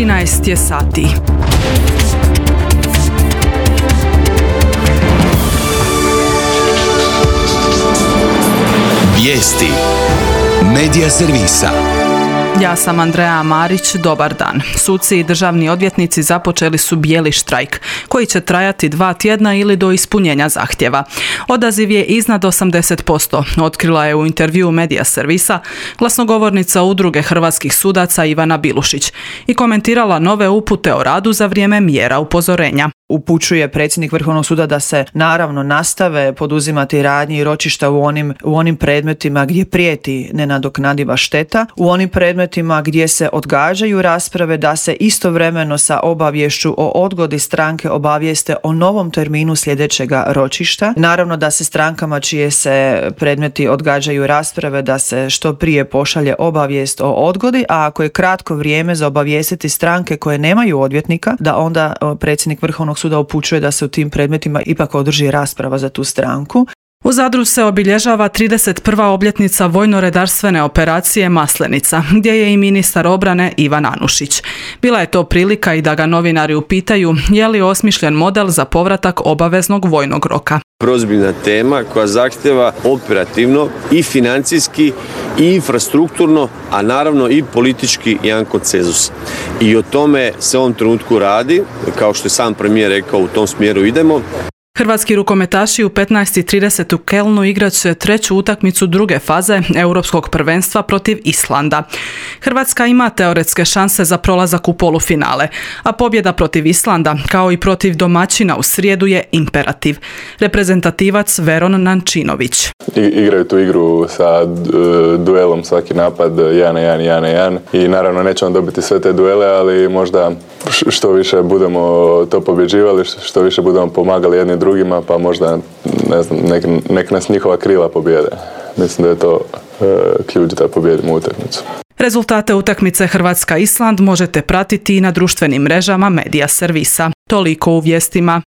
13 je sati. Vijesti Medija servisa. Ja sam Andreja Marić, dobar dan. Suci i državni odvjetnici započeli su bijeli štrajk, koji će trajati 2 tjedna ili do ispunjenja zahtjeva. Odaziv je iznad 80%, otkrila je u intervjuu Medija servisa glasnogovornica Udruge hrvatskih sudaca Ivana Bilušić i komentirala nove upute o radu za vrijeme mjera upozorenja. Upućuje predsjednik Vrhovnog suda da se naravno nastave poduzimati radnje i ročišta u onim predmetima gdje prijeti nenadoknadiva šteta, u onim predmetima gdje se odgađaju rasprave, da se istovremeno sa obaviješću o odgodi stranke obavijeste o novom terminu sljedećega ročišta. Naravno da se strankama čije se predmeti odgađaju rasprave da se što prije pošalje obavijest o odgodi, a ako je kratko vrijeme za obavijestiti stranke koje nemaju odvjetnika, da onda predsjednik Vrhovnog suda upućuje da se u tim predmetima ipak održi rasprava za tu stranku. U Zadru se obilježava 31. obljetnica vojno-redarstvene operacije Maslenica, gdje je i ministar obrane Ivan Anušić. Bila je to prilika i da ga novinari upitaju je li osmišljen model za povratak obaveznog vojnog roka. Prozbiljna tema koja zahtjeva operativno i financijski i infrastrukturno, a naravno i politički jedan konsenzus. I o tome se u ovom trenutku radi, kao što je sam premijer rekao, u tom smjeru idemo. Hrvatski rukometaši u 15:30 u Kelnu igrat će treću utakmicu druge faze Europskog prvenstva protiv Islanda. Hrvatska ima teoretske šanse za prolazak u polufinale, a pobjeda protiv Islanda, kao i protiv domaćina u srijedu, je imperativ. Reprezentativac Veron Nančinović. Igraju tu igru sa duelom svaki napad 1-1 i naravno nećemo dobiti sve te duele, ali možda što više budemo to pobjeđivali, što više budemo pomagali jedni drugima, pa možda nek nas njihova krila pobjede. Mislim da je to ključ da pobjedimo utakmicu. Rezultate utakmice Hrvatska-Island možete pratiti i na društvenim mrežama Medija servisa. Toliko u vijestima.